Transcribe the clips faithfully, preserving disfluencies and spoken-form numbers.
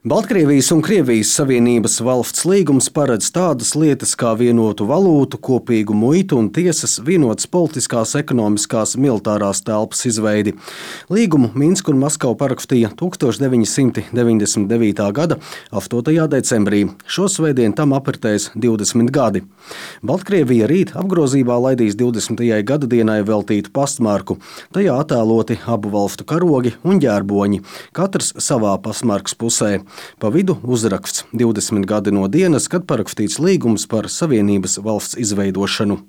Baltkrievijas un Krievijas Savienības valsts līgums paredz tādas lietas kā vienotu valūtu, kopīgu muitu un tiesas, vienotas politiskās, ekonomiskās, militārās telpas izveidi. Līgumu Minska un Maskava parakstīja tūkstoš deviņi simti deviņdesmit devītā gada astotajā decembrī. Šosvētdien tam apritēs divdesmit gadi. Baltkrievija rīt apgrozībā laidīs divdesmitajai gadadienai veltītu pastmarku. Tajā attēloti abu valstu karogi un ģērboņi, katrs savā pastmarkas pusē. Pa vidu uzraksts divdesmit gadi no dienas, kad parakstīts līgums par Savienības valsts izveidošanu.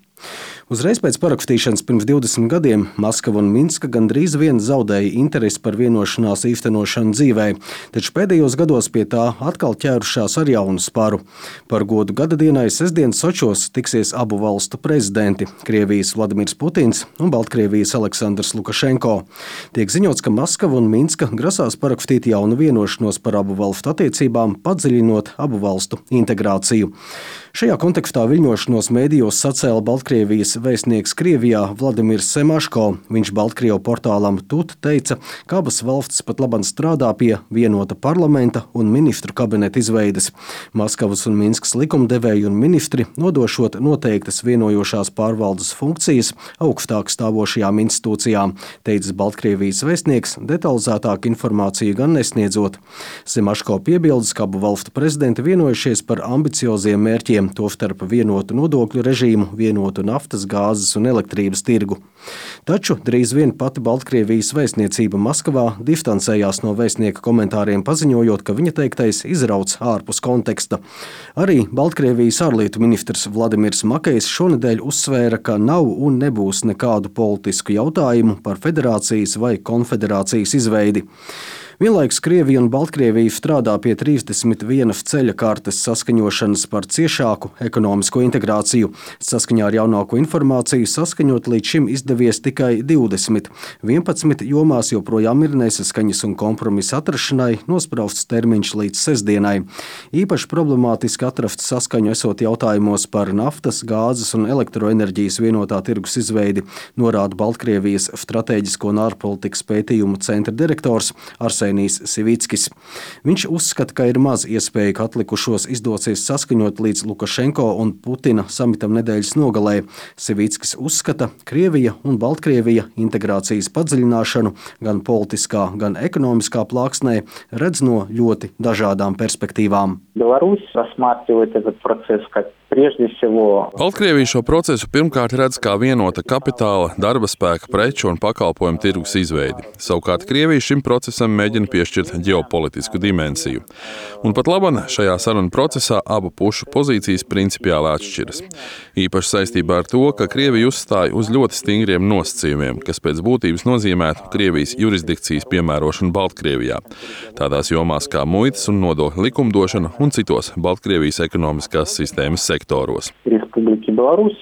Uzreiz pēc parakstīšanas pirms divdesmit gadiem Maskava un Minska gandrīz vien zaudēja interesi par vienošanās īstenošanu dzīvē, taču pēdējos gados pie tā atkal ķērušās ar jaunu sparu. Par godu gadadienai sestdien Sočos tiksies abu valstu prezidenti – Krievijas Vladimirs Putins un Baltkrievijas Aleksandrs Lukašenko. Tiek ziņots, ka Maskava un Minska grasās parakstīt jaunu vienošanos par abu valstu attiecībām, padziļinot abu valstu integrāciju. Šajā kontekstā viļņošanos mēdījos sacēla Baltkrievijas vēstnieks Krievijā Vladimirs Semaško. Viņš Baltkrievu portālam Tut teica, ka abas valstis pat labam strādā pie vienota parlamenta un ministru kabineta izveides. Maskavas un Minskas likumdevēji un ministri nodošot noteiktas vienojošās pārvaldes funkcijas augstāk stāvošajām institūcijām, teicis Baltkrievijas vēstnieks, detalizētāk informāciju gan nesniedzot. Semaško piebildes, ka abu valstu prezidenti vienojušies par ambicioziem mērķiem, tostarp vienotu nodokļu režīmu, vienotu naftas, gāzes un elektrības tirgu. Taču drīz vien pati Baltkrievijas vēstniecība Maskavā distancējās no vēstnieka komentāriem, paziņojot, ka viņa teiktais izrauc ārpus konteksta. Arī Baltkrievijas ārlietu ministrs Vladimirs Makejs šonedēļ uzsvēra, ka nav un nebūs nekādu politisku jautājumu par federācijas vai konfederācijas izveidi. Vienlaikus Krievija un Baltkrievija strādā pie trīsdesmit vienas ceļa kartes saskaņošanas par ciešāku ekonomisko integrāciju. Saskaņā ar jaunāko informāciju saskaņot līdz šim izdevies tikai divdesmit. vienpadsmit jomās joprojām ir nesaskaņas un kompromisa atrašanai nosprausts termiņš līdz sestdienai. Īpaši problemātiski atrast saskaņu esot jautājumos par naftas, gāzes un elektroenerģijas vienotā tirgus izveidi, norāda Baltkrievijas stratēģisko un ārpolitikas pētījumu centra direktors Arsenijs Sivickis. Viņš uzskata, ka ir maz iespēja, ka atlikušos izdosies saskaņot līdz Lukašenko un Putina samitam nedēļas nogalē. Sivickis uzskata, Krievija un Baltkrievija integrācijas padziļināšanu gan politiskā, gan ekonomiskā plāksnē redz no ļoti dažādām perspektīvām. Беларусь рассматривает этот процесс как прежде всего. Baltkrievija šo procesu pirmkārt redz kā vienota kapitāla, darba spēka, preču un pakalpojumu tirgus izveidi. Savukārt Krievija šim procesam mēģina piešķirt ģeopolitisku dimensiju. Un pat laban šajā sarunu procesā abu pušu pozīcijas principiāli atšķiras. Īpaši saistībā ar to, ka Krievija uzstāja uz ļoti stingriem nosacījumiem, kas pēc būtības nozīmētu Krievijas jurisdikcijas piemērošanu Baltkrievijā. Tādās jomās kā muitas un nodokļu likumdošana un citos Baltkrievijas ekonomiskās sistēmas sektoros. Республики Беларусь.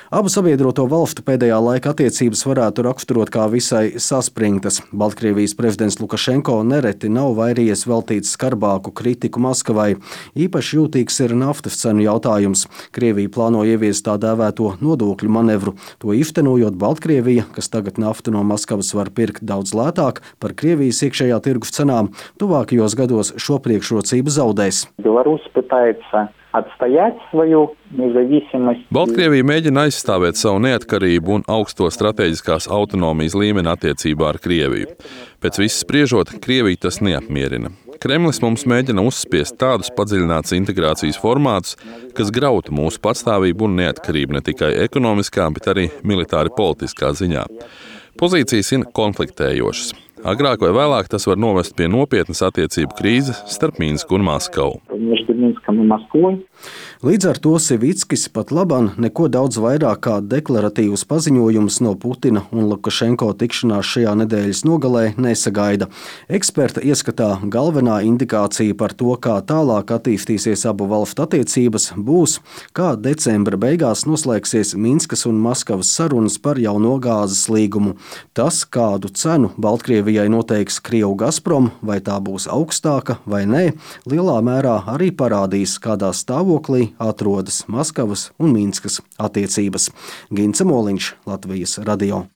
Abu sabiedroto valstu pēdējā laika attiecības varētu raksturot kā visai saspringtas. Baltkrievijas prezidents Lukašenko nereti nav vairījies veltīt skarbāku kritiku Maskavai. Īpaši jūtīgs ir naftas cenu jautājums. Krievija plāno ieviest tā dēvēto nodokļu manevru. To īstenojot Baltkrievija, kas tagad naftu no Maskavas var pirkt daudz lētāk par Krievijas iekšējā tirgus cenām, tuvākajos gados šo priekšrocību zaudēs. Беларусь пытается отстоять свою независимость. Baltkrievija mēģina aizstāvēt savu neatkarību un augsto strateģiskās autonomijas līmeni attiecībā ar Krieviju. Pēc viss spriežot, Krieviju tas neapmierina. Kremlis mums mēģina uzspiest tādus padziļinātas integrācijas formātus, kas grautu mūsu patstāvību un neatkarību ne tikai ekonomiskā, bet arī militāri politiskā ziņā. Pozīcijas ir konfliktējošas. Agrāk vai vēlāk tas var novest pie nopietnas attiecību krīzes starp Minsku un Maskavu. Līdz ar to Sivickis pat laban neko daudz vairāk kā deklaratīvus paziņojumus no Putina un Lukašenko tikšanās šajā nedēļas nogalē nesagaida. Eksperta ieskatā galvenā indikācija par to, kā tālāk attīstīsies abu valstu attiecības, būs, kā decembra beigās noslēgsies Minskas un Maskavas sarunas par jauno gāzes līgumu. Tas, kādu cenu Baltkrievijai noteiks Krievu Gazprom, vai tā būs augstāka vai nē, lielā mērā arī parādīs, kādā stāvoklī atrodas Maskavas un Minskas attiecības. Gints Moliņš, Latvijas radio.